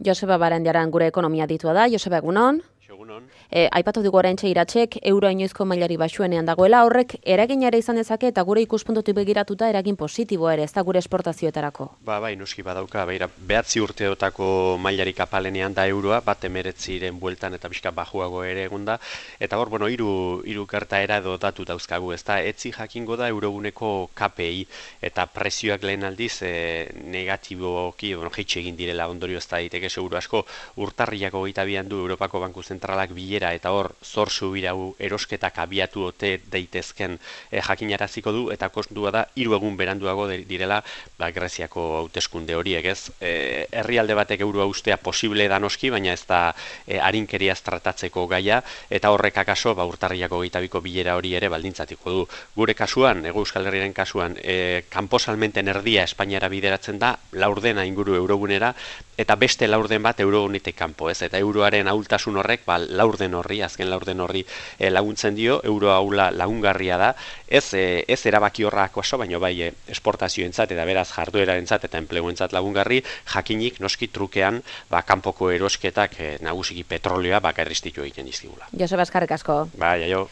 Joseba Barandiaran gure ekonomia ditua da. Joseba, egunon? Egunon. Aipatu dugu oraintxe Iratzek euroa inoizko mailari baxuenean dagoela, horrek eragina ere izan dezake eta gure ikuspuntutik begiratuta eragin positiboa ere, ez da gure esportazioetarako. Bai, noski badauka, beira, 9 urteotako mailarik apalenean da euroa, bat 19 bueltan eta pixka bajuago ere egunda, eta hor, hiru gertaera edo datu dauzkagu, ez da, etzi jakingo da euroguneko KPI, eta prezioak lehen aldiz negatiboki, jaitsi egin direla ondorio ez da daiteke seguru asko, urtarriak 22an du Europako Banku Zentralak bilera eta hor zor subirau erosketak abiatu ote daitezken jakinaraziko du eta kostua da 3 egun beranduago direla Greziako hauteskunde horiek, ez? Herrialde batek euroa ustea posible da noski, baina ez da arinkeriaz tratatzeko gaia eta horrek akaso urtarriak 22ko bilera hori ere baldintzatiko du. Gure kasuan, Hego Euskal Herriaren kasuan, kanpo salmenten erdia Espainiara bideratzen da, laurdena inguru eurogunera eta beste laurden bat eurogunetik kanpo, ez? Eta euroaren ahultasun horrek azken laurden horri laguntzen dio, euroa ahula lagungarria da, ez erabaki horrak oso, baina bai esportazioentzat eta beraz jarduerarentzat eta enpleguentzat lagungarri, jakinik noski trukean kanpoko erosketak nagusiki petrolioa errestitu egiten dizkigula. Joseba, eskerrik asko. Bai, aio.